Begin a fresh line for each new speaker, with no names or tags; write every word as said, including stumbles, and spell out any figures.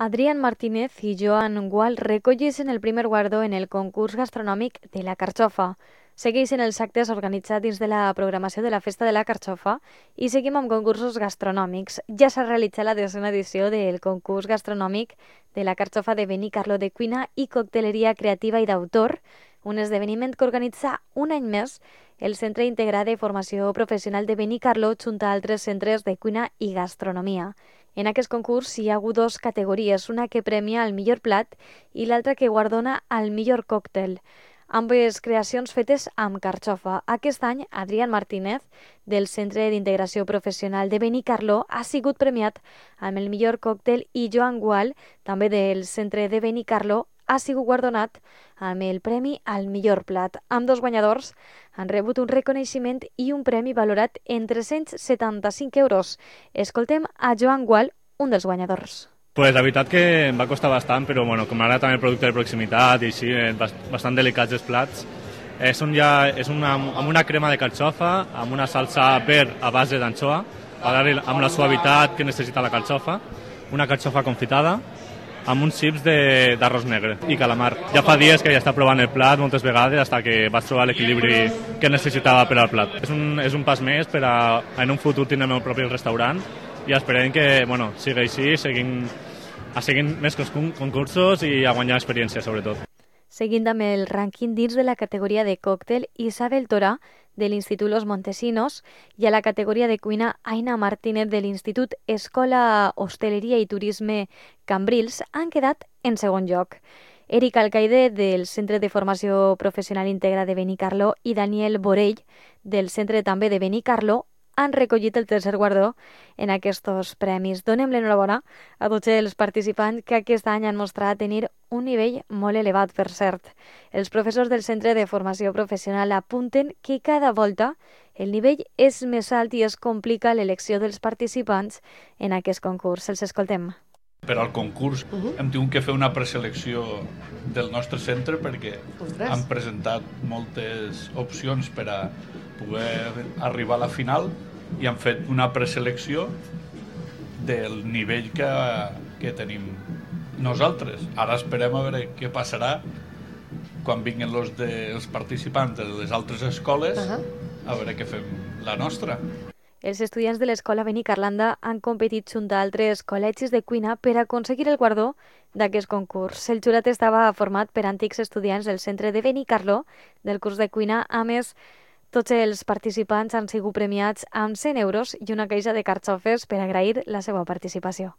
Adrián Martínez y Joan Gual recolleixen el primer guardó en el concurs gastronòmic de la Carxofa. Segueixen els actes organitzats dins de la programació de la Festa de la Carxofa i seguim amb concursos gastronòmics. Ja s'ha realitzat la desena edició del concurs gastronòmic de la Carxofa de Benicarló de cuina i cocteleria creativa i d'autor, un esdeveniment que organitza un any més el Centre Integrat de Formació Professional de Benicarló junt a altres centres de cuina i gastronomia. En aquest concurs hi ha hagut dues categories, una que premia el millor plat i l'altra que guardona al millor còctel. Ambes creacions fetes amb carxofa. Aquest any, Adrián Martínez, del Centre d'Integració Professional de Benicarló, ha sigut premiat amb el millor còctel i Joan Gual, també del Centre de Benicarló, ha sigut guardonat amb el premi al millor plat. Ambdós guanyadors han rebut un reconeixement i un premi valorat en tres-cents setanta-cinc euros. Escoltem a Joan Gual, un dels guanyadors.
Pues la veritat que em va costar bastant, però bueno, com ara també el producte de proximitat i així, bastant delicats els plats. És, un ja, és una, amb una crema de carxofa, amb una salsa verd a base d'anxoa, amb la suavitat que necessita la carxofa, una carxofa confitada, amb uns xips d'arròs negre i calamar. Ja fa dies que ja està provant el plat moltes vegades fins que vaig trobar l'equilibri que necessitava per al plat. És un, és un pas més per a en un futur tindre el meu propi restaurant i esperem que bueno, sigui així, seguim, a seguir més concursos i a guanyar experiència sobretot.
Seguint amb el rànquing dins de la categoria de còctel, Isabel Torà, de l'Institut Los Montesinos, i a la categoria de cuina, Aina Martínez, de l'Institut Escola Hostaleria i Turisme Cambrils, han quedat en segon lloc. Eric Alcaide, del Centre de Formació Professional Integra de Benicarló, i Daniel Borell, del Centre també de Benicarló, han recollit el tercer guardó en aquests premis. Donem l'enhorabona a tots els participants que aquest any han mostrat tenir un nivell molt elevat, per cert. Els professors del Centre de Formació Professional apunten que cada volta el nivell és més alt i es complica l'elecció dels participants en aquest concurs. Els escoltem.
Per al concurs uh -huh. hem tingut que fer una preselecció del nostre centre perquè Ostres. han presentat moltes opcions per a poder arribar a la final i han fet una preselecció del nivell que, que tenim nosaltres. Ara esperem a veure què passarà quan vinguin els, de, els participants de les altres escoles uh -huh. a veure què fem la nostra.
Els estudiants de l'Escola Benicarlanda han competit junt a altres col·legis de cuina per aconseguir el guardó d'aquest concurs. El jurat estava format per antics estudiants del Centre de Benicarló del curs de cuina. A més, tots els participants han sigut premiats amb cent euros i una caixa de carxofes per agrair la seva participació.